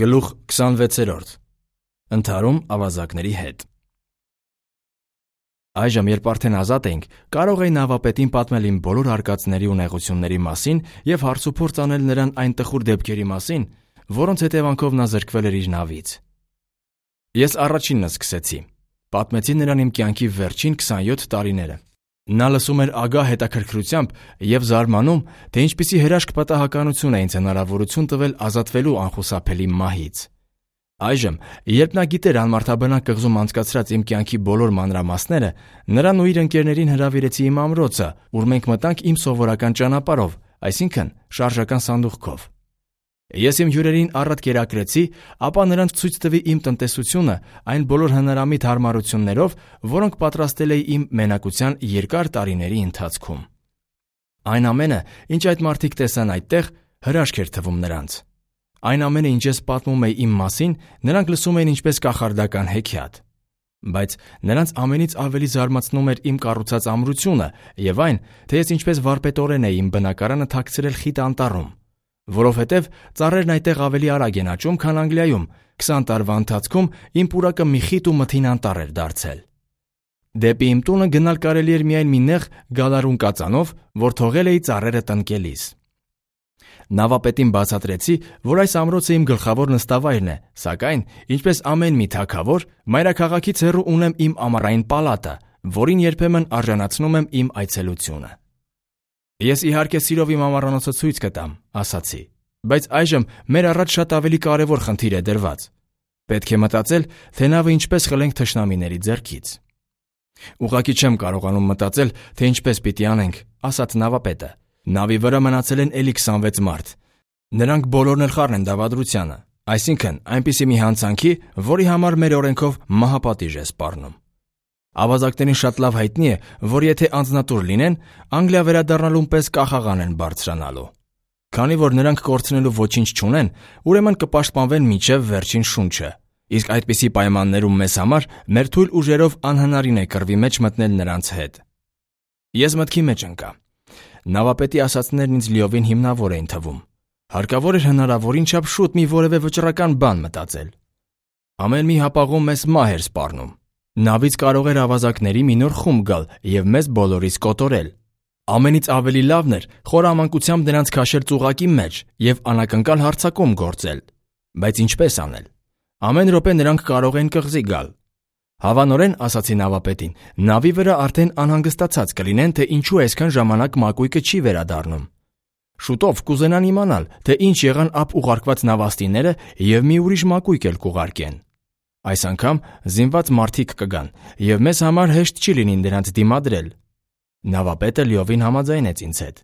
Գլուխ 26. Ընդհարում ավազակների հետ։ Այժմ, երբ արդեն ազատ էինք, կարող էի նավապետին պատմել իմ բոլոր արկածների ու նեղությունների մասին և հարցուփորձ անել նրան այն տխուր դեպքերի մասին, որոնց հետևանքով նա զրկվել էր իր նավից։ Ես առաջինն սկսեցի։ Պատմեցի նրան իմ կյանքի վերջին 27 տարիները։ Նա լսում էր ագահ հետաքրքրությամբ և զարմանում, թե ինչպիսի հրաշք պատահականություն է ինձ հնարավորություն տվել ազատվելու անխուսափելի մահից։ Այժմ, երբ նա գիտեր անմարդաբնակ կղզում անցկացրած իմ կյանքի բոլոր մանրամասները, նրան ու իր ընկերներին հրավիրեցի իմ ամրոցը, ուր մենք մտանք իմ սովորական ճանապարհով, այսինքն շարժական սանդուղքով։ Ես իմ հյուրերին առատ կերակրեցի, ապա նրանց ցույց տվի իմ տնտեսությունը այն բոլոր հնարամիտ հարմարություններով, որոնք պատրաստել էի իմ մենակության երկար տարիների ընթացքում։ Այն ամենը, ինչ այդ մարդիկ տեսան այդտեղ, հրաշք էր թվում նրանց։ Այն ամենը, ինչ ես պատմում էի իմ մասին, նրանք լսում էին ինչպես կախարդական հեքիաթ։ Բայց նրանց ամենից ավելի զարմացնում էր իմ կառուցած ամրությունը և այն, թե ես ինչպես վարպետորեն էի իմ բնակարանը թաքցրել խիտ անտառում, որովհետև ծառերն այդտեղ ավելի արագ են աճում, քան Անգլիայում, 20 տարվա ընթացքում իմ պուրակը մի խիտ ու մթին անտառ էր դարձել։ Դեպի իմ տունը գնալ կարելի էր միայն մի նեղ գալարուն կածանով, որ թողել էի ծառերը տնկելիս։ Նավապետին բացատրեցի, որ այս ամրոցը իմ գլխավոր նստավայրն է, սակայն, ինչպես ամեն մի թագավոր, մայրաքաղաքից հեռու ունեմ իմ ամառային պալատը, որին երբեմն արժանացնում եմ իմ այցելությունը։ Ես իհարկե սիրով իմ ամառանոցը ցույց կտամ, ասացի, բայց այժմ մեր առաջ շատ ավելի կարևոր խնդիր է դրված։ Պետք է մտածել, թե նավը ինչպես խլենք թշնամիների ձեռքից։ Ուղղակի չեմ կարողանում մտածել, թե ինչպես պիտի անենք, ասաց նավապետը։ Նավի վրա մնացել են էլի 26 մարդ։ Նրանք բոլորն էլ խառն են դավադրությանը, այսինքն այնպիսի մի հանցանքի, որի համար մեր օրենքով մահապատիժ է սպառնում։ Ավազակներին շատ լավ հայտնի է, որ եթե անձնատուր լինեն, Անգլիա վերադառնալուն պես կախաղան են բարձրանալու։ Քանի որ նրանք կորցնելու ոչինչ չունեն, ուրեմն կպաշտպանվեն մինչև վերջին շունչը, իսկ այդպիսի պայմաններում մեզ համար մեր թույլ ուժերով անհնարին է կռվի մեջ մտնել նրանց հետ։ Ես մտքի մեջ ընկա։ Նավապետի ասածներն ինձ լիովին հիմնավոր էին թվում։ Հարկավոր էր հնարավորին չափ շուտ մի որևէ վճռական բան մտածել։ Ամեն մի հապաղում մեզ մահ էր սպառնում։ Նավից կարող էր ավազակների մի նոր խումբ գալ և մեզ բոլորիս կոտորել։ Ամենից ավելի լավն էր խորամանկությամբ նրանց քաշել ծուղակի մեջ և անակնկալ հարձակում գործել։ Բայց ինչպես անել։ Ամեն րոպե նրանք կարող են կղզի գալ։ Հավանորեն, ասացի նավապետին, նավի վրա արդեն անհանգստացած կլինեն, թե ինչու այսքան ժամանակ մակույկը չի վերադառնում։ Շուտով կուզենան իմանալ, թե ինչ եղան ափ ուղարկված նավաստիները և մի ուրիշ մակույկ էլ կուղարկեն։ Այս անգամ զինված մարդիկ կգան, և մեզ համար հեշտ չի լինի նրանց դիմադրել։ Նավապետը լիովին համաձայնեց ինձ հետ։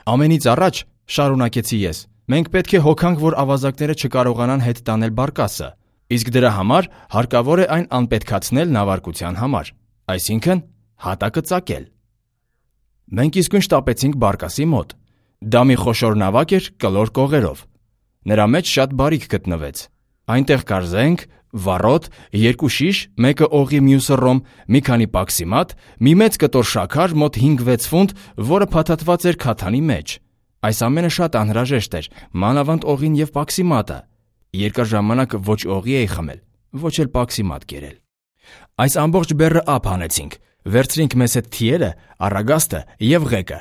Ամենից առաջ, շարունակեցի ես, մենք պետք է հոգանք, որ ավազակները չկարողանան հետ տանել բարկասը, իսկ դրա համար հարկավոր է այն անպետքացնել նավարկության համար, այսինքն հատակը ծակել։ Մենք իսկույն շտապեցինք բարկասի մոտ։ Դա մի խոշոր նավակ էր կլոր կողերով։ Նրա մեջ շատ բարիք գտնվեց։ Այնտեղ կար զենք, վառոդ, 2 շիշ, մեկը օղի, մյուսը ռոմ, մի քանի պաքսիմատ, մի մեծ կտոր շաքար, մոտ 5-6 ֆունտ, որը փաթաթված էր քաթանի մեջ։ Այս ամենը շատ անհրաժեշտ էր, մանավանդ օղին և պաքսիմատը։ Երկար ժամանակ ոչ օղի էի խմել, ոչ էլ պաքսիմատ կերել։ Այս ամբողջ բեռը ափ հանեցինք, վերցրինք մեզ հետ թիերը, առագաստը և ղեկը,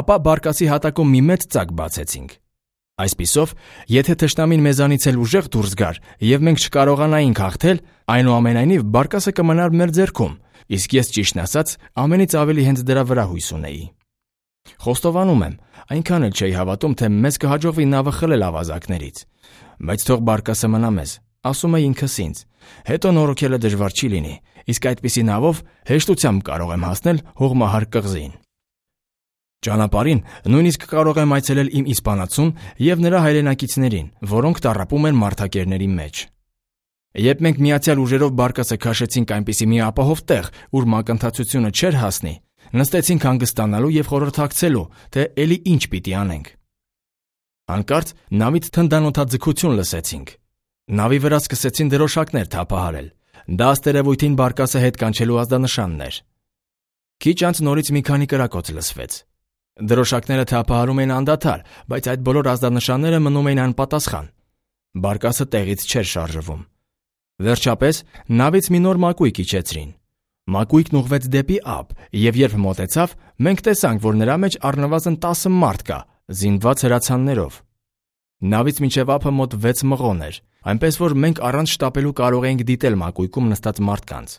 ապա բարկասի հատակում մի մեծ ծակ բացեցինք։ Այսպիսով, եթե թշնամին մեզանից էլ ուժեղ դուրս գար և մենք չկարողանայինք հաղթել, այնուամենայնիվ բարկասը կմնար մեր ձեռքում, իսկ ես ճիշտն ասած ամենից ավելի հենց դրա վրա հույս ունեի։ Խոստովանում եմ, այնքան էլ չէի հավատում, թե մեզ կհաջողվի նավը խլել ավազակներից։ Բայց թող բարկասը մնա մեզ, ասում էի ինքս ինձ, հետո նորոգելը դժվար չի լինի, իսկ այդպիսի նավով հեշտությամբ կարող եմ հասնել հողմահար կղզին։ Ճանապարհին նույնիսկ կարող եմ այցելել իմ իսպանացուն և նրա հայրենակիցներին, որոնք տառապում են մարդակերների մեջ։ Երբ մենք միացյալ ուժերով բարկասը քաշեցինք այնպիսի մի ապահով տեղ, ուր մակընթացությունը չէր հասնի, նստեցինք հանգստանալու և խորհրդակցելու, թե էլի ինչ պիտի անենք։ Հանկարծ նավից թնդանոթաձգություն լսեցինք։ Նավի վրա սկսեցին դրոշակներ թափահարել։ Դա ըստ բարկասը հետ կանչելու ազդանշանն էր։ Քիչ անց նորից մի քանի կրակոց լսվեց։ Դրոշակները թափահարում էին անդադար, բայց այդ բոլոր ազդանշանները մնում էին անպատասխան։ Բարկասը տեղից չէր շարժվում։ Վերջապես նավից մի նոր մակույկ իջեցրին։ Մակույկն ուղղվեց դեպի ափ, եւ երբ մոտեցավ, մենք տեսանք, որ նրա մեջ առնվազն 10 մարդ կա, զինված հրացաններով։ Նավից մինչև ափը մոտ 6 մղոն էր, այնպես որ մենք առանց շտապելու կարող էինք դիտել մակույկում նստած մարդկանց։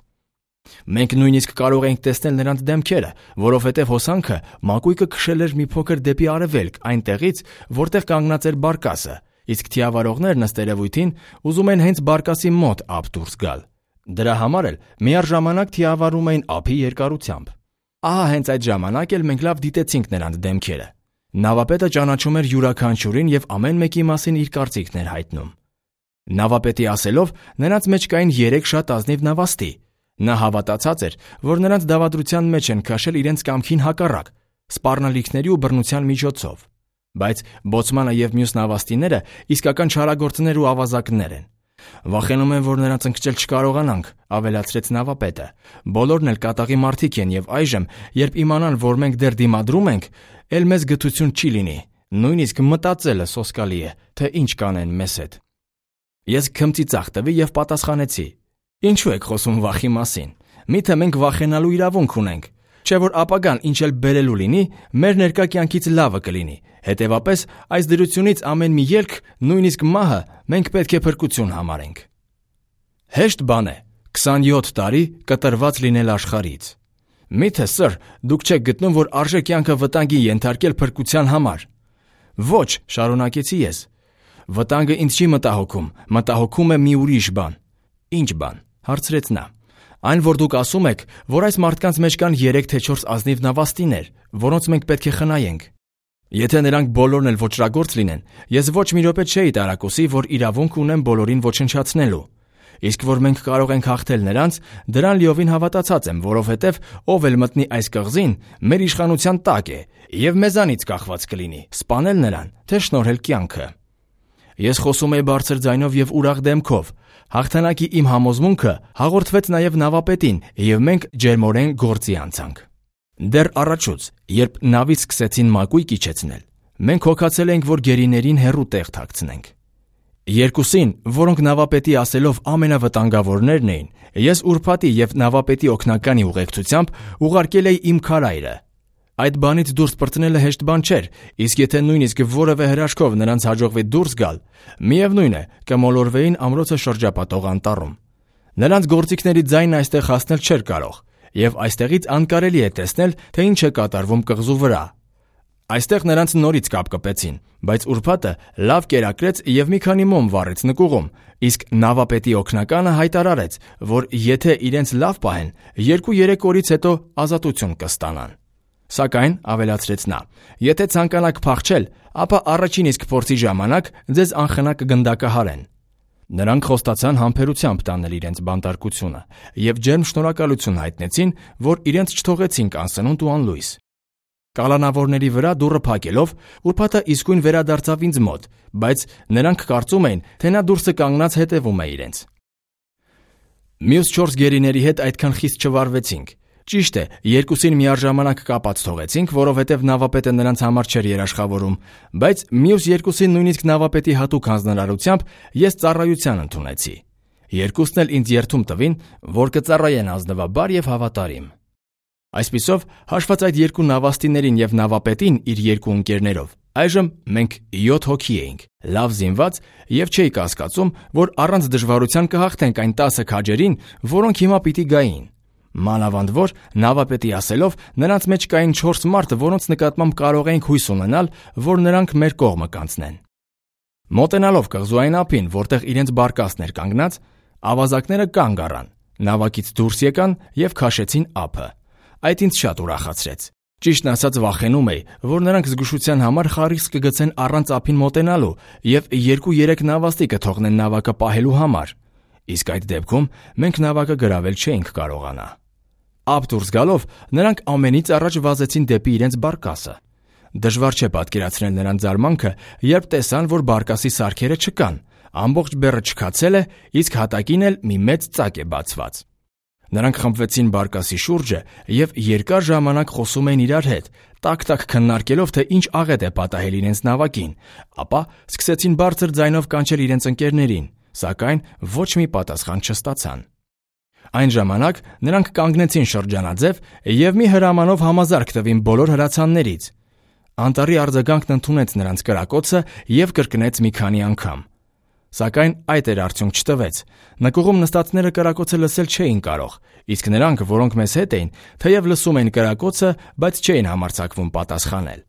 Մենք նույնիսկ կարող էինք տեսնել նրանց դեմքերը, որովհետև հոսանքը մակույկը քշել էր մի փոքր դեպի արևելք, այնտեղից, որտեղ կանգնած էր բարկասը, իսկ թիավարողներն ըստ երևույթին ուզում են հենց բարկասի մոտ ափ դուրս գալ։ Դրա համար էլ միառժամանակ թիավարում էին ափի երկարությամբ։ Ահա հենց այդ ժամանակ էլ մենք լավ դիտեցինք նրանց դեմքերը։ Նավապետը ճանաչում էր յուրաքանչյուրին եւ ամեն մեկի մասին իր կարծիքն էր հայտնում։ Նավապետի ասելով, նրանց մեջ կային 3 շատ ազնիվ նավաստի։ Նա հավատացած էր, որ նրանց դավադրության մեջ են քաշել իրենց կամքին հակառակ, սպառնալիքների ու բռնության միջոցով։ Բայց բոցմանը եւ մյուս նավաստիները իսկական չարագործներ ու ավազակներ են։ Վախենում եմ, որ նրանց ընկճել չկարողանանք, ավելացրեց նավապետը։ Բոլորն էլ կատաղի մարդիկ են եւ այժմ, երբ իմանան, որ մենք դեռ դիմադրում ենք, էլ մեզ գթություն չի լինի։ Նույնիսկ մտածելը սոսկալի է, թե ինչ կանեն մեզ հետ։ Ես քմծի ծախ տվի եւ պատասխանեցի. Ինչու եք խոսում վախի մասին։ Միթե մենք վախենալու իրավունք ունենք, չէ՞ որ ապագան ինչ էլ բերելու լինի, մեր ներկա կյանքից լավը կլինի։ Հետևաբար այս դրությունից ամեն մի ելք, նույնիսկ մահը, մենք պետք է փրկություն համարենք։ Հեշտ բան է 27 տարի կտրված լինել աշխարհից։ Միթե սր, դուք չեք գտնում, որ արժե կյանքը վտանգի ենթարկել փրկության համար։ Ոչ, շարունակեցի ես։ Վտանգը ինձ չի մտահոգում, մտահոգում է մի ուրիշ բան։ Ինչ բան, հարցրեց նա։ Այն, որ դուք ասում եք, որ այս մարդկանց մեջ կան 3 թե 4 ազնիվ նավաստիներ, որոնց մենք պետք է խնայենք։ Եթե նրանք բոլորն էլ ոճրագործ լինեն, ես ոչ մի րոպե չէի տարակուսի, որ իրավունք ունեմ բոլորին ոչնչացնելու։ Իսկ որ մենք կարող ենք հաղթել նրանց, դրան լիովին հավատացած եմ, որովհետև ով էլ մտնի այս կղզին, մեր իշխանության տակ է, եւ մեզանից կախված կլինի սպանել նրան, թե շնորհել կյանքը։ Ես խոսում էի բարձր ձայնով եւ ուրախ դեմքով։ Հաղթանակի իմ համոզմունքը հաղորդվեց նաեւ նավապետին, եւ մենք ջերմորեն գործի անցանք։ Դեռ առաջուց, երբ նավից սկսեցին մակույկ իջեցնել, մենք հոգացել էինք, որ գերիներին հեռու տեղ թաքցնենք։ Երկուսին, որոնք նավապետի ասելով ամենավտանգավորներն էին, ես ուրբաթի եւ նավապետի օգնականի ուղեկցությամբ ուղարկել էի իմ քարայրը։ Այդ բանից դուրս պրծնելը հեշտ բան չէր, իսկ եթե նույնիսկ որևէ հրաշքով նրանց հաջողվի դուրս գալ, միևնույն է, կմոլորվեին ամրոցը շրջապատող անտառում։ Նրանց գործիքների ձայնը այստեղ հասնել չէր կարող, եւ այստեղից անկարելի է տեսնել, թե ինչ է կատարվում կղզու վրա։ Այստեղ նրանց նորից կապ կպեցին, բայց ուրբաթը լավ կերակրեց եւ մի քանի մոմ վառեց նկուղում, իսկ նավապետի օգնականը հայտարարեց, որ եթե իրենց լավ պահեն, 2-3 օրից հետո ազատություն կստանան։ Սակայն, ավելացրեց նա, եթե ցանկանաք փախչել, ապա առաջին իսկ փորձի ժամանակ ձեզ անխնա կգնդակահարեն։ Նրանք խոստացան համբերությամբ տանել իրենց բանտարկությունը եւ ջերմ շնորհակալություն հայտնեցին, որ իրենց չթողեցինք անսնունդ ու անլույս։ Կալանավորների վրա դուռը փակելով, ուրբաթը իսկույն վերադարձավ ինձ մոտ, բայց նրանք կարծում էին, թե նա դուրսը կանգնած հետևում է իրենց։ Մյուս 4 գերիների հետ այդքան խիստ չվարվեցինք։ Ճիշտ է, երկուսին միառժամանակ կապած թողեցինք, որովհետև նավապետը նրանց համար չէր երաշխավորում, բայց մյուս երկուսին նույնիսկ նավապետի հատուկ հանձնարարությամբ ես ծառայության ընդունեցի։ Երկուսն էլ ինձ երդում տվին, որ կծառայեն ազնվաբար եւ հավատարիմ։ Այսպիսով, հաշված այդ 2 նավաստիներին եւ նավապետին իր 2 ընկերներով, այժմ մենք 7 հոգի էինք, լավ զինված եւ չէի կասկածում, որ առանց դժվարության կհաղթենք այն 10 քաջերին, որոնք հիմա պիտի գային։ Մանավանդ որ նավապետի ասելով նրանց մեջ կային 4 մարդ, որոնց նկատմամբ կարող էինք հույս ունենալ, որ նրանք մեր կողմը կանցնեն։ Մոտենալով կղզուային ափին, որտեղ իրենց բարկասն էր կանգնած, ավազակները կանգ առան, նավակից դուրս եկան եւ քաշեցին ափը։ Այդ ինձ շատ ուրախացրեց։ Ճիշտն ասած վախենում էի, որ նրանք զգուշության համար խարիսկ կգցեն առանց ափին մոտենալու եւ 2-3 նավաստի կթողնեն նավակը պահելու համար։ Իսկ այդ դեպքում մենք նավակը գրավել չէինք կարողանա։ Ափ դուրս գալով նրանք ամենից առաջ վազեցին դեպի իրենց բարկասը։ Դժվար չէ պատկերացնել նրանց զարմանքը, երբ տեսան, որ բարկասի սարքերը չկան, ամբողջ բեռը չքացել է, իսկ հատակին էլ մի մեծ ծակ է բացված։ Նրանք խմբվեցին բարկասի շուրջը և երկար ժամանակ խոսում էին իրար հետ, տակ-տակ քննարկելով, թե ինչ աղետ է պատահել իրենց նավակին, ապա սկսեցին բարձր ձայնով կանչել իրենց ընկերներին, սակայն ոչ մի պատասխան չստացան։ Այն ժամանակ նրանք կանգնեցին շրջանաձև և մի հրամանով համազարկ տվին բոլոր հրացաններից։ Անտառի արձագանքն ընդունեց նրանց կրակոցը և կրկնեց մի քանի անգամ։ Սակայն այդ էր արդյունք չտվեց։ Նկուղում նստածները կրակոցը լսել չէին կարող, իսկ նրանք, որոնք մեզ հետ էին, թեև լսում էին կրակոցը, բայց չէին համարձակվում պատասխանել։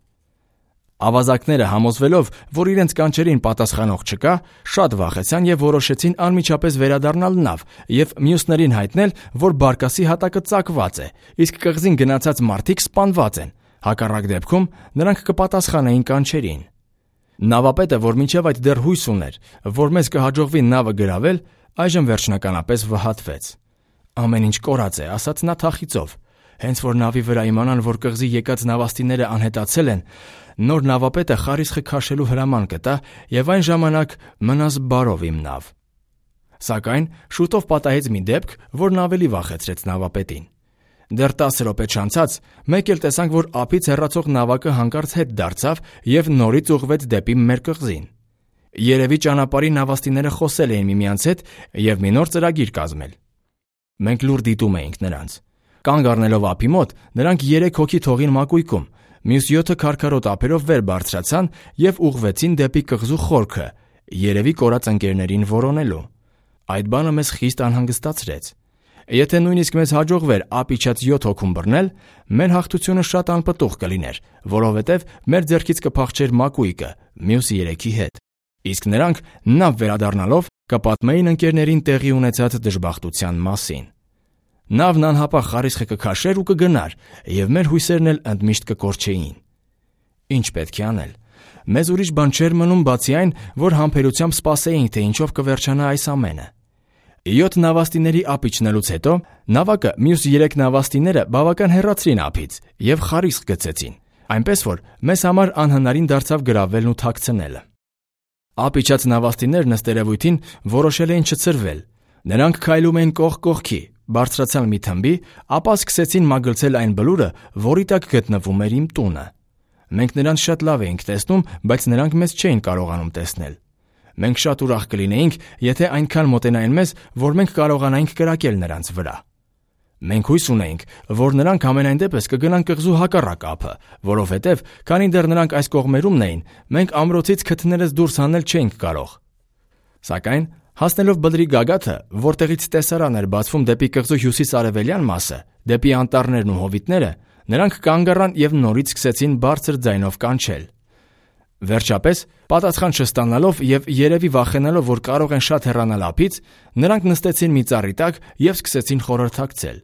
Ավազակները, համոզվելով, որ իրենց կանչերին պատասխանող չկա, շատ վախեցան և որոշեցին անմիջապես վերադառնալ նավ և մյուսներին հայտնել, որ բարկասի հատակը ծակված է, իսկ կղզին գնացած մարդիկ սպանված են, հակառակ դեպքում նրանք կպատասխանեին կանչերին։ Նավապետը, որ մինչև այդ դեռ հույս ուներ, որ մեզ կհաջողվի նավը գրավել, այժմ վերջնականապես վհատվեց։ Ամեն ինչ կորած է, ասաց նա թախիծով։ Հենց որ նավի վրա իմանան, որ կղզի եկած նավաստիները անհետացել են, նոր նավապետը խարիսխը քաշելու հրաման կտա և այն ժամանակ մնաս բարով իմ նավ։ Սակայն շուտով պատահեց մի դեպք, որն ավելի վախեցրեց նավապետին։ Դեռ 10 րոպե չանցած մեկ էլ տեսանք, որ ափից հեռացող նավակը հանկարծ հետ դարձավ և նորից ուղղվեց դեպի մեր կղզին։ Երևի ճանապարհի նավաստիները խոսել էին միմյանց հետ և մի նոր ծրագիր կազմել։ Մենք լուր դիտում էինք նրանց։ Կանգ առնելով ափի մոտ, նրանք 3 հոգի թողին մակույկում, մյուս 7-ը քարքարոտ ափերով վեր բարձրացան և ուղղվեցին դեպի կղզու խորքը, երևի կորած ընկերներին որոնելու։ Այդ բանը մեզ խիստ անհանգստացրեց։ Եթե նույնիսկ մեզ հաջողվեր ափ իջած 7 հոգուն բռնել, մեր հաղթությունը շատ անպտուղ կլիներ, որովհետև մեր ձեռքից կփախչեր մակույկը մյուս 3-ի հետ, իսկ նրանք նավ վերադառնալով կպատմեին ընկերներին տեղի ունեցած դժբախտության մասին։ Նավն անհապաղ խարիսխը կքաշեր ու կգնար, և մեր հույսերն էլ ընդմիշտ կկորչեին։ Ինչ պետք է անել։ Մեզ ուրիշ բան չէր մնում, բացի այն, որ համբերությամբ սպասեինք, թե ինչով կվերջանա այս ամենը։ 7 նավաստիների ափ իջնելուց հետո նավակը մյուս 3 նավաստիները բավական հեռացրին ափից և խարիսխ գցեցին, այնպես որ մեզ համար անհնարին դարձավ գրավելն ու թաքցնելը։ Ափ իջած նավաստիներն ըստ երևույթին որոշել էին չցրվել։ Նրանք քայլում էին կողք կողքի, բարձրացան մի թմբի, ապա սկսեցին մագլցել այն բլուրը, որի տակ գտնվում էր իմ տունը։ Մենք նրանց շատ լավ էինք տեսնում, բայց նրանք մեզ չէին կարողանում տեսնել։ Մենք շատ ուրախ կլինեինք, եթե այնքան մոտենային մեզ, որ մենք կարողանայինք կրակել նրանց վրա։ Մենք հույս ունեինք, որ նրանք ամենայն դեպս կգնան կղզու հակառակ ափը, որովհետև, քանի դեռ նրանք այս կողմերումն էին, մենք ամրոցից քթներս դուրս հանել չէինք կարող։ Սակայն, հասնելով բլրի գագաթը, որտեղից տեսարան էր բացվում դեպի կղզու հյուսիս-արևելյան մասը, դեպի անտառներն ու հովիտները, նրանք կանգ առան և նորից սկսեցին բարձր ձայնով կանչել։ Վերջապես, պատասխան չստանալով և երևի վախենալով, որ կարող են շատ հեռանալ ափից, նրանք նստեցին մի ծառի տակ և սկսեցին խորհրդակցել։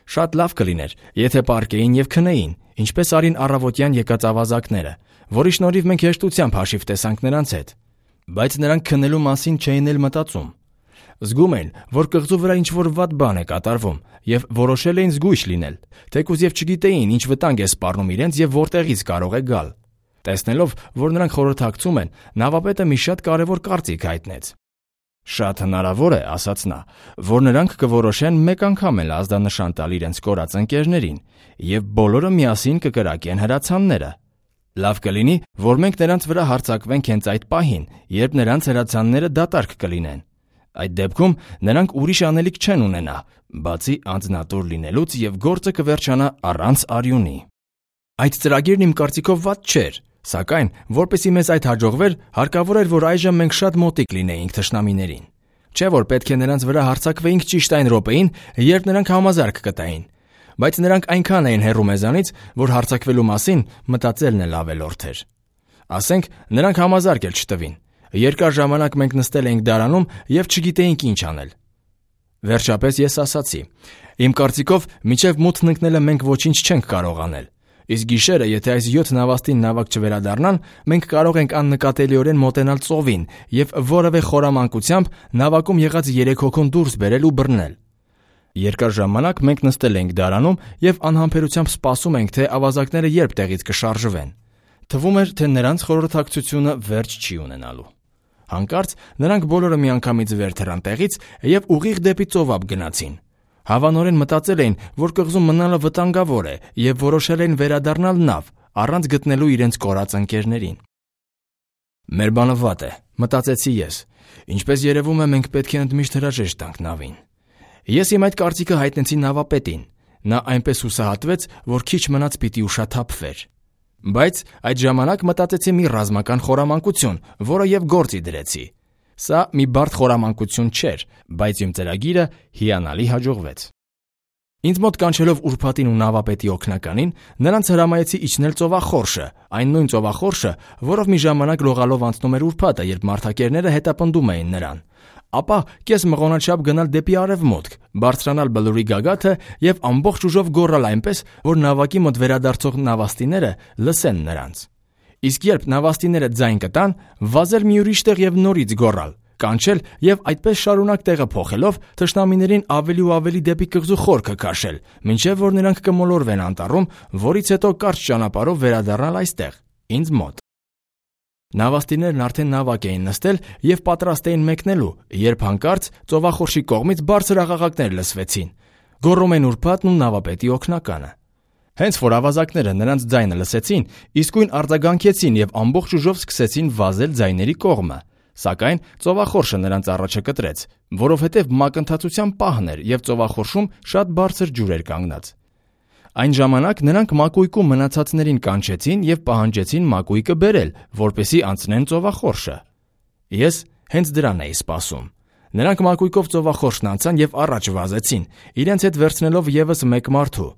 Շատ լավ կլիներ, եթե պառկեին և քնեին, ինչպես արին առավոտյան եկած ավազակները, որի շնորհիվ մենք հեշտությամբ հաշիվ տեսանք նրանց հետ։ Բայց նրանք քնելու մասին չէին էլ մտածում։ Զգում էին, որ կղզու վրա ինչ-որ վատ բան է կատարվում և որոշել էին զգույշ լինել, թեկուզ և չգիտեին ինչ վտանգ է սպառնում իրենց և որտեղից կարող է գալ։ Տեսնելով, որ նրանք խորհրդակցում են, նավապետը մի շատ կարևոր կարծիք հայտնեց։ Շատ հնարավոր է, ասաց նա, որ նրանք կորոշեն մեկ անգամ էլ ազդանշան տալ իրենց կորած ընկերներին և բոլորը միասին կկրակեն հրացանները։ Լավ կլինի, որ մենք նրանց վրա հարձակվենք հենց այդ պահին, երբ նրանց հրացանները դատարկ կլինեն։ Այդ դեպքում նրանք ուրիշ անելիք չեն ունենա, բացի անձնատուր լինելուց և գործը կվերջանա առանց արյունի։ Այդ ծրագիրն իմ կարծիքով վատ չէր, սակայն, որպեսզի մեզ այդ հաջողվեր, հարկավոր էր, որ այժմ մենք շատ մոտիկ լինեինք թշնամիներին։ Չէ՞ որ պետք է նրանց վրա հարձակվեինք ճիշտ այն րոպեին, երբ նրանք համազարկ կտային։ Բայց նրանք այնքան էին հեռու մեզանից, որ հարձակվելու մասին մտածելն էլ ավելորդ էր։ Ասենք, նրանք համազարկ էլ չտվին։ Երկար ժամանակ մենք նստել էինք դարանում և չգիտեինք ինչ անել։ Վերջապես ես ասացի. իմ կարծիքով, մինչև մութն ընկնելը մենք ոչինչ չենք կարող անել։ Իսկ գիշերը, եթե այս 7 նավաստին նավակ չվերադառնան, մենք կարող ենք աննկատելիորեն մոտենալ ծովին և որևէ խորամանկությամբ նավակում եղած 3 հոգուն դուրս բերել ու բռնել։ Երկար ժամանակ մենք նստել էինք դարանում և անհամբերությամբ սպասում էինք, թե ավազակները երբ տեղից կշարժվեն։ Թվում էր, թե նրանց խորհրդակցությունը վերջ չի ունենալու։ Հանկարծ նրանք բոլորը միանգամից վեր թռան տեղից և ուղիղ դեպի ծովափ գնացին։ Հավանորեն մտածել էին, որ կղզում մնալը վտանգավոր է եւ որոշել էին վերադառնալ նավ, առանց գտնելու իրենց կորած ընկերներին։ Մեր բանը վատ է, մտածեցի ես։ Ինչպես երևում է, մենք պետք է ընդմիշտ հրաժեշտ տանք նավին։ Ես իմ այդ կարծիքը հայտնեցի նավապետին։ Նա այնպես հուսահատվեց, որ քիչ մնաց պիտի ուշաթափվեր։ Բայց այդ ժամանակ մտածեցի մի ռազմական խորամանկություն, որը եւ գործի դրեցի։ Սա մի բարդ խորամանկություն չէր, բայց իմ ծրագիրը հիանալի հաջողվեց։ Ինձ մոտ կանչելով ուրբաթին ու նավապետի օգնականին, նրանց հրամայեցի իջնել ծովախորշը, այն նույն ծովախորշը, որով մի ժամանակ լողալով անցնում էր ուրբաթը, երբ մարդակերները հետապնդում էին նրան։ Ապա կես մղոնաչափ գնալ դեպի արևմուտք, բարձրանալ բլուրի գագաթը եւ ամբողջ ուժով գոռալ այնպես, որ նավակի մոտ վերադարձող նավաստիները լսեն նրանց։ Իսկ երբ նավաստիները ձայն կտան, վազել մի ուրիշ տեղ եւ նորից գոռալ, կանչել եւ այդպես շարունակ տեղը փոխելով թշնամիներին ավելի ու ավելի դեպի կղզու խորքը քաշել, մինչեւ որ նրանք կմոլորվեն անտառում, որից հետո կարճ ճանապարհով վերադառնալ այստեղ, ինձ մոտ։ Նավաստիներն արդեն նավակ էին նստել եւ պատրաստ էին մեկնելու, երբ հանկարծ ծովախորշի կողմից բարձր աղաղակներ լսվեցին։ Գոռում են ուրբաթն ու նավապետի օգնականը։ Հենց որ ավազակները նրանց ձայնը լսեցին, իսկույն արձագանքեցին եւ ամբողջ ուժով սկսեցին վազել ձայների կողմը։ Սակայն ծովախորշը նրանց առաջը կտրեց, որովհետեւ մակընթացության պահն էր եւ ծովախորշում շատ բարձր ջուր էր կանգնած։ Այն ժամանակ նրանք մակույկում մնացածներին կանչեցին եւ պահանջեցին մակույկը բերել, որպեսզի անցնեն ծովախորշը։ Ես հենց դրան էի սպասում։ Նրանք մակույկով ծովախորշն անցան եւ առաջ վազեցին, իրենց հետ վերցնելով եւս մեկ մարդու։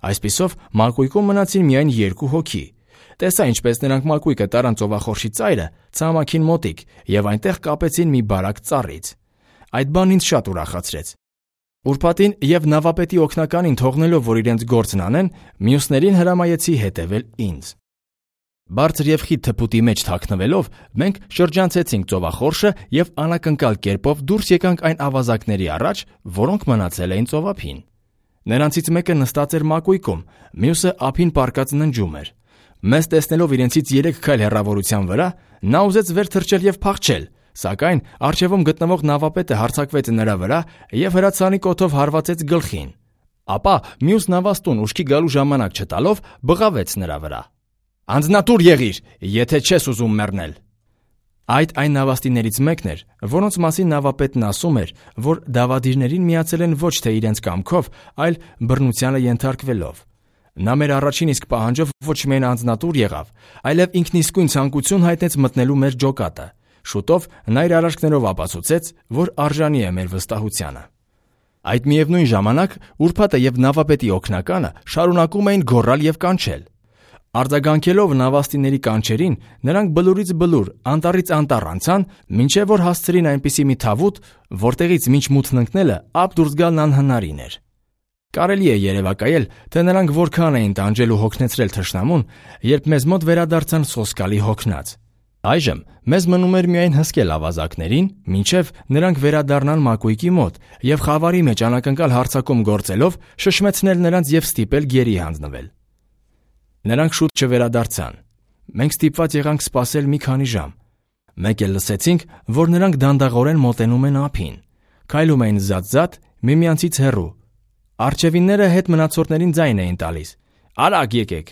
Այսպիսով մակույկում մնացին միայն 2 հոգի։ Տեսա ինչպես նրանք մակույկը տարան ծովախորշի ծայրը, ցամաքին մոտիկ եւ այնտեղ կապեցին մի բարակ ծառից։ Այդ բանն ինձ շատ ուրախացրեց։ Ուրբաթին եւ նավապետի օգնականին թողնելով, որ իրենց գործն անեն, մյուսներին հրամայեցի հետևել ինձ։ Բարձր եւ խիտ թփուտի մեջ թաքնվելով, մենք շրջանցեցինք ծովախորշը եւ անակնկալ կերպով դուրս եկանք այն ավազակների առաջ, որոնք մնացել էին ծովափին։ Նրանցից մեկը նստած էր մակույկում, մյուսը ափին պառկած ննջում էր։ Մեզ տեսնելով իրենցից 3 քայլ հեռավորության վրա, նա ուզեց վեր թռչել եւ փախչել, սակայն առջևում գտնվող նավապետը հարձակվեց նրա վրա եւ հրացանի կոթով հարվածեց գլխին։ Ապա մյուս նավաստուն ուշքի գալու ժամանակ չտալով բղավեց նրա վրա։ Անձնատուր եղիր, եթե չես ուզում մեռնել։ Այդ այն նավաստիներից մեկն էր, որոնց մասին նավապետն ասում էր, որ դավադիրներին միացել են ոչ թե իրենց կամքով, այլ բռնությանը ենթարկվելով։ Նա մեր առաջին իսկ պահանջով ոչ միայն անձնատուր եղավ, այլև ինքն իսկույն ցանկություն հայտնեց մտնելու մեր ջոկատը։ Շուտով նա իր արարքներով ապացուցեց, որ արժանի է մեր վստահությանը։ Այդ միևնույն ժամանակ ուրբաթը եւ նավապետի օգնականը շարունակում էին գոռալ եւ կանչել։ Արձագանքելով նավաստիների կանչերին, նրանք բլուրից բլուր, անտառից անտառ անցան, մինչև որ հասցրին այնպիսի մի թավուտ, որտեղից մինչ մութն ընկնելը ափ դուրս գալն անհնարին էր։ Կարելի է երևակայել, թե նրանք որքան էին տանջել ու հոգնեցրել թշնամուն, երբ մեզ մոտ վերադարձան սոսկալի հոգնած։ Այժմ մեզ մնում էր միայն հսկել ավազակներին, մինչև նրանք վերադառնան մակույկի մոտ եւ խավարի մեջ անակնկալ հարձակում գործելով շշմեցնել նրանց եւ ստիպել գերի հանձնվել։ Նրանք շուտ չվերադարձան։ Մենք ստիպված եղանք սպասել մի քանի ժամ։ Մեկ էլ լսեցինք, որ նրանք դանդաղորեն մոտենում են ափին։ Քայլում էին զատ-զատ, միմյանցից հեռու։ Արջևինները հետ մնացորդներին ձայն էին տալիս. «Արագ եկեք»։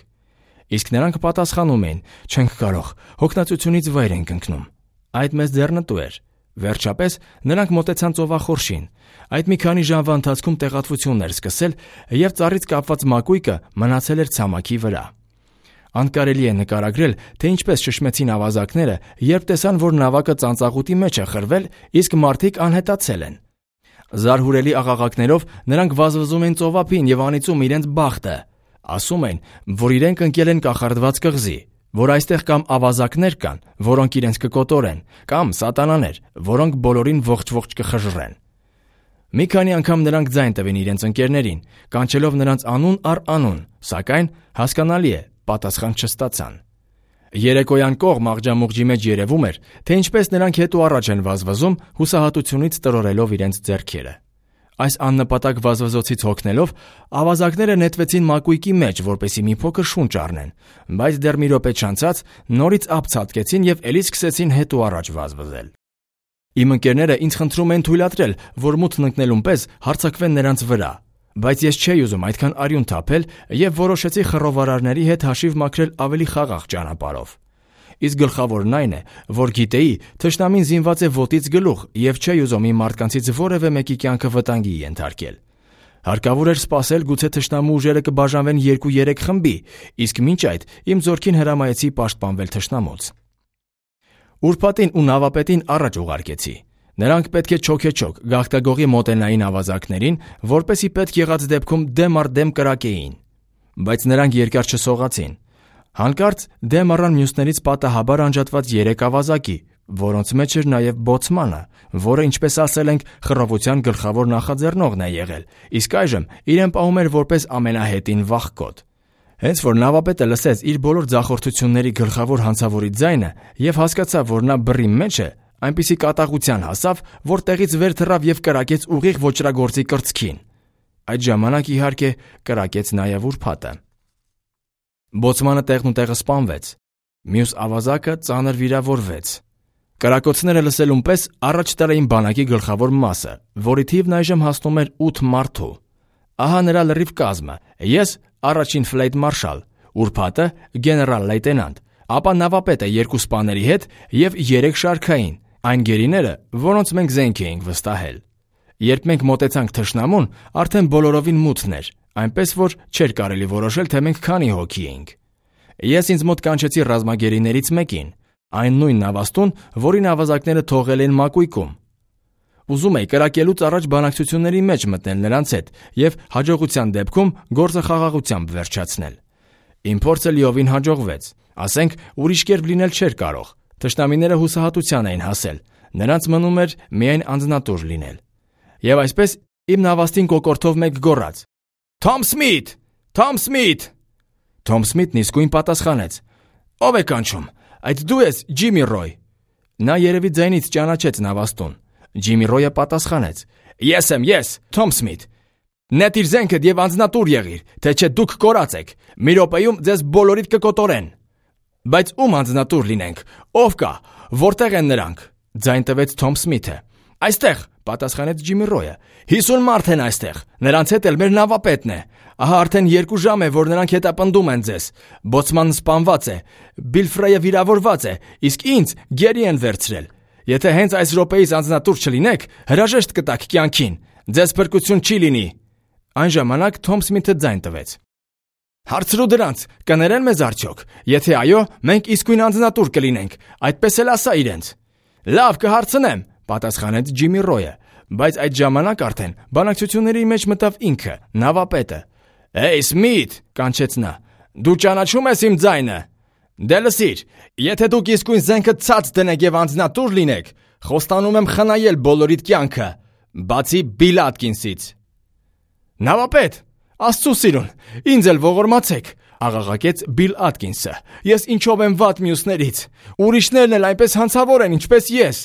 Իսկ նրանք պատասխանում էին. «Չենք կարող, հոգնածությունից վայր ենք ընկնում»։ Այդ մեզ ձեռնտու էր։ Վերջապես նրանք մոտեցան ծովախորշին։ Այդ մի քանի ժամվա ընթացքում տեղատվություններ սկսել եւ ծառից կապված մակույկը մնացել էր ցամաքի վրա։ Անկարելի է նկարագրել, թե ինչպես շշմեցին ավազակները, երբ տեսան, որ նավակը ծանծաղուտի մեջ է խրվել, իսկ մարդիկ անհետացել են։ Զարհուրելի աղաղակներով նրանք վազվզում են ծովափին եւ անիծում իրենց բախտը։ Ասում են, որ իրենք ընկել են կախարդված կղզի, որ այստեղ կամ ավազակներ կան, որոնք իրենց կկոտորեն, կամ սատանաներ, որոնք բոլորին ողջ-ողջ կխժռեն։ Մի քանի անգամ նրանք ձայն տվին իրենց ընկերներին, կանչելով նրանց անուն առ անուն, սակայն հասկանալի է, պատասխան չստացան։ Երեկոյան կողմ աղջամուղջի մեջ երևում էր, թե ինչպես նրանք հետ ու առաջ են վազվզում, հուսահատությունից տրորելով իրենց ձեռքերը։ Այս աննպատակ վազվզոցից հոգնելով, ավազակները նետվեցին մակույկի մեջ, որպեսզի մի փոքր շունչ առնեն, բայց դեռ մի րոպե չանցած նորից ափ ցատկեցին եւ էլի սկսեցին հետ ու առաջ վազվզել։ Իմ ընկերները ինձ խնդրում են թույլատրել, որ մութն ընկնելուն պես հարձակվեն նրանց վրա, Բայց ես չէի ուզում այդքան արյուն թափել եւ որոշեցի խռովարարների հետ հաշիվ մաքրել ավելի խաղաղ ճանապարհով։ Իսկ գլխավորն այն է, որ գիտեի, թշնամին զինված է ոտից գլուխ եւ չէի ուզում իմ մարդկանցից որևէ մեկի կյանքը վտանգի ենթարկել։ Հարկավոր էր սպասել, գուցե թշնամու ուժերը կբաժանվեն 2-3 խմբի, իսկ մինչ այդ իմ ձեռքին հրամայեցի պաշտպանվել թշնամուց։ Ուրբաթին ու նավապետին առաջ ուղարկեցի։ Նրանք պետք է չոքեչոք գաղթագողի մոտենային ավազակներին, որպեսի պետք եղած դեպքում դեմ առ դեմ կրակեին։ Բայց նրանք երկար չսողացին։ Հանկարծ դեմ առան մյուսներից պատահաբար անջատված 3 ավազակի, որոնց մեջ էր նաև բոցմանը, որը, ինչպես ասել ենք, խռովության գլխավոր նախաձեռնողն է եղել, իսկ այժմ իրեն պահում էր որպես ամենահետին վախկոտ։ Հենց որ նավապետը լսեց իր բոլոր ձախորդությունների գլխավոր հանցավորի ձայնը եւ հասկացավ, որ նա բռի մեջ է, այնպիսի կատաղության հասավ, որ տեղից վեր թռավ եւ կրակեց ուղիղ ոճրագործի կրծքին։ Այդ ժամանակ, իհարկե, կրակեց նաև ուրբաթը։ Բոցմանը տեղնուտեղը սպանվեց։ Մյուս ավազակը ծանր վիրավորվեց։ Կրակոցները լսելուն պես առաջ տարեին բանակի գլխավոր մասը, որի թիվն այժմ հասնում էր 8 մարդու։ Ահա նրա լրիվ կազմը. ես առաջին ֆլեյտմարշալ, ուրբաթը գեներալ լեյտենանտ, ապա նավապետը 2 սպաների հետ եւ 3 շարքային, այն գերիները, որոնց մենք զենք էինք վստահել։ Երբ մենք մոտեցանք թշնամուն, արդեն բոլորովին մութն էր, այնպես որ չէր կարելի որոշել, թե մենք քանի հոգի էինք։ Ես ինձ մոտ կանչեցի ռազմագերիներից մեկին, այն նույն նավաստուն, որին ավազակները թողել են մակույկում։ Ուզում էի կրակելուց առաջ բանակցությունների մեջ մտնել նրանց հետ եւ հաջողության դեպքում գործը խաղաղությամբ վերջացնել։ Իմ փորձը լիովին հաջողվեց, ասենք ուրիշ կերպ լինել չէր կարող։ Թշնամիները հուսահատության էին հասել, նրանց մնում էր միայն անձնատուր լինել։ Եվ այսպես իմ նավաստին կոկորդով մեկ գոռաց. «Թոմ Սմիթ! Թոմ Սմիթ!» Թոմ Սմիթն իսկույն պատասխանեց. «Ո՞վ է կանչում, այդ դու ես, Ջիմի Ռոյ»։ Նա երևի ձայնից ճանաչեց նավաստուն։ Ջիմի Ռոյը պատասխանեց. «Ես եմ, ես, Թոմ Սմիթ։ Նետիր զենքդ եւ անձնատուր եղիր, թե չէ դուք կորած եք։ Մի րոպեում ձեզ բոլորիդ կկոտորեն»։ «Բայց ում անձնատուր լինենք, ով կա, որտեղ են նրանք»։ Ձայն տվեց Թոմ Սմիթը։ «Այստեղ», պատասխանեց Ջիմի Ռոյը։ 50 մարդ են այստեղ, նրանց հետ էլ մեր նավապետն է։ Ահա արդեն 2 ժամ է, որ նրանք հետապնդում են ձեզ։ Բոցմանն սպանված է, Բիլֆրեյը վիրավորված է, իսկ ինձ գերի են վերցրել։ Եթե հենց այս րոպեից անձնատուր չլինեք, հրաժեշտ կտաք կյանքին։ Ձեզ փրկություն չի լինի։ Այն ժամանակ Թոմ Սմիթը ձայն տվեց. «Հարցրու դրանց, կներեն մեզ արդյոք։ Եթե այո, մենք իսկույն անձնատուր կլինենք, այդպես էլ ասա իրենց»։ «Լավ, կհարցնեմ», պատասխանեց Ջիմի Ռոյը, բայց այդ ժամանակ արդեն բանակցությունների մեջ մտավ ինքը, նավապետը։ «Հեյ, Սմիթ», կանչեց նա, «դու ճանաչում ես իմ ձայնը։ Դե լսիր, եթե դուք իսկույն զենքը ցած դնեք եւ անձնատուր լինեք, խոստանում եմ խնայել բոլորիդ կյանքը, բացի Բիլ Աթկինսից»։ «Նավապետ, Աստծո սիրուն, ինձ էլ ողորմացեք», աղաղակեց Բիլ Աթկինսը։ «Ես ինչով եմ վատ մյուսներից։ Ուրիշներն էլ այնպես հանցավոր են, ինչպես ես»։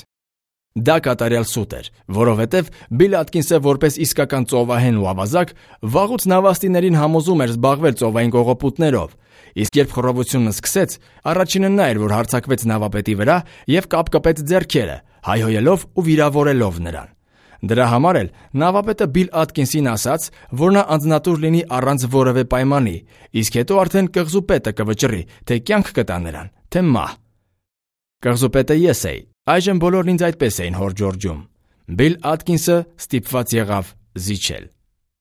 Դա կատարյալ սուտ էր, որովհետև Բիլ Աթկինսը որպես իսկական ծովահեն ու ավազակ վաղուց նավաստիներին համոզում էր զբաղվել ծովային կողոպուտներով, իսկ երբ խռովությունը սկսեց, առաջինը նա էր, որ հարձակվեց նավապետի վրա եւ կապկպեց ձեռքերը, հայհոյելով ու վիրավորելով նրան։ Դրա համար էլ նավապետը Բիլ Աթկինսին ասաց, որ նա անձնատուր լինի առանց որևէ պայմանի, իսկ հետո արդեն կղզուպետը կվճռի, թե կյանք կտա նրան, թե մահ։ Կղզուպետը ես էի, այժմ բոլորն ինձ այդպես էին հորդորում։ Բիլ Աթկինսը ստիպված եղավ զիջել։